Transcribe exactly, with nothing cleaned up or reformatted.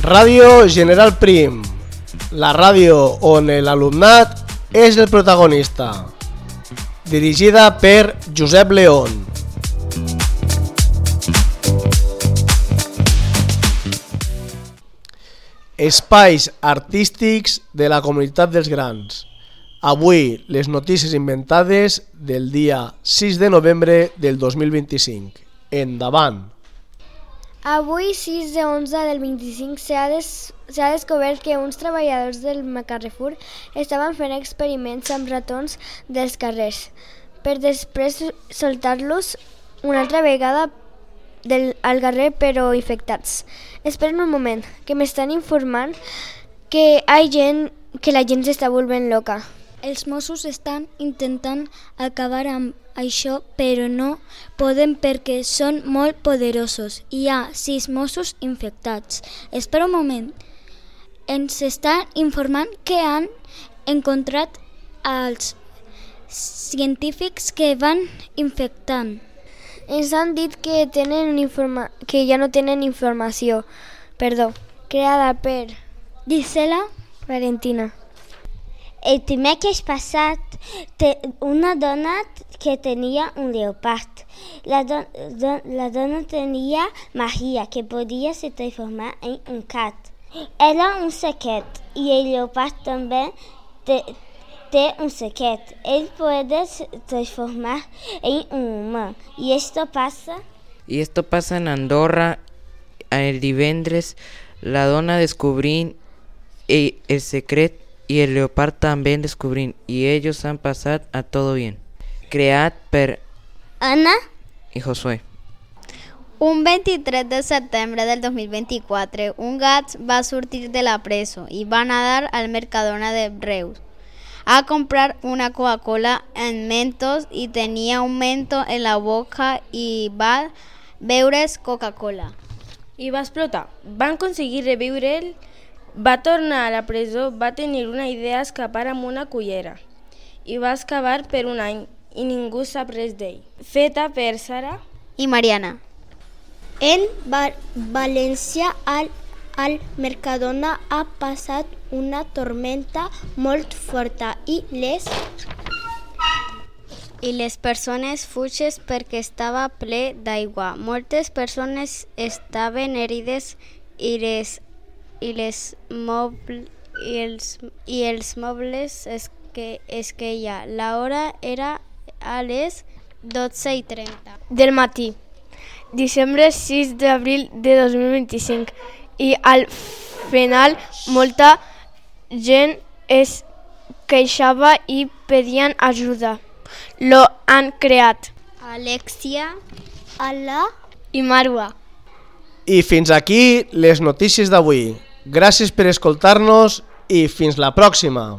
Ràdio General Prim, la ràdio on l'alumnat és el protagonista. Dirigida per Josep León. Espais artístics de la comunitat dels grans. Avui les notícies inventades del dia sis de novembre del dos mil vint-i-cinc. Endavant! Avui, sis de onze del vint-i-cinc, s'ha des, s'ha descobert que uns treballadors del Carrefour estaven fent experiments amb ratons dels carrers per després soltar-los una altra vegada del, al carrer però infectats. Esperen un moment, que m'estan informant que, hi gent, que la gent s'està volvent loca. Els Mossos estan intentant acabar amb això, però no poden perquè són molt poderosos. Hi ha sis Mossos infectats. Espera un moment. Ens estan informant que han encontrat els científics que van infectant. Ens han dit que, tenen un informa- que ja no tenen informació, perdó, creada per Gisela Valentina. El dimecres passat, te, una dona que tenia un lleopard. La, do, do, la dona tenia Maria, que podia se transformar en un gat. Era un secret, i el lleopard també te, té un secret. Él puede transformar en un humano. Y esto pasa... Y esto pasa en Andorra. El divendres la dona descubrí el, el secret y el leopard també descubrí, i ells han passat a todo bien. Creat per Anna i Josué. Un vint-i-tres de setembre del dos mil vint-i-quatre, un gat va sortir de la presó i va anar al Mercadona de Reus a comprar una Coca-Cola en Mentos i tenia un mento en la boca i va beure's Coca-Cola. I va explotar. Van aconseguir revivre'l, va tornar a la presó, va tenir una idea escapar amb una cullera i va excavar per un any i ningú sap res d'ell. Feta per Sara i Mariana. En Val- València, al, al Mercadona ha passat una tormenta molt forta i les i les persones fugen perquè estava ple d'aigua. Moltes persones estaven herides i les i les moble, i els i els mobles es que es que ja la hora era a les dotze i trenta del matí, dissabte sis d'abril de dos mil vint-i-cinc, i al final molta gent es queixava i pedien ajuda. Lo han creat Alexia, Ala i Marwa. I fins aquí les notícies d'avui. Gràcies per escoltar-nos i fins la pròxima.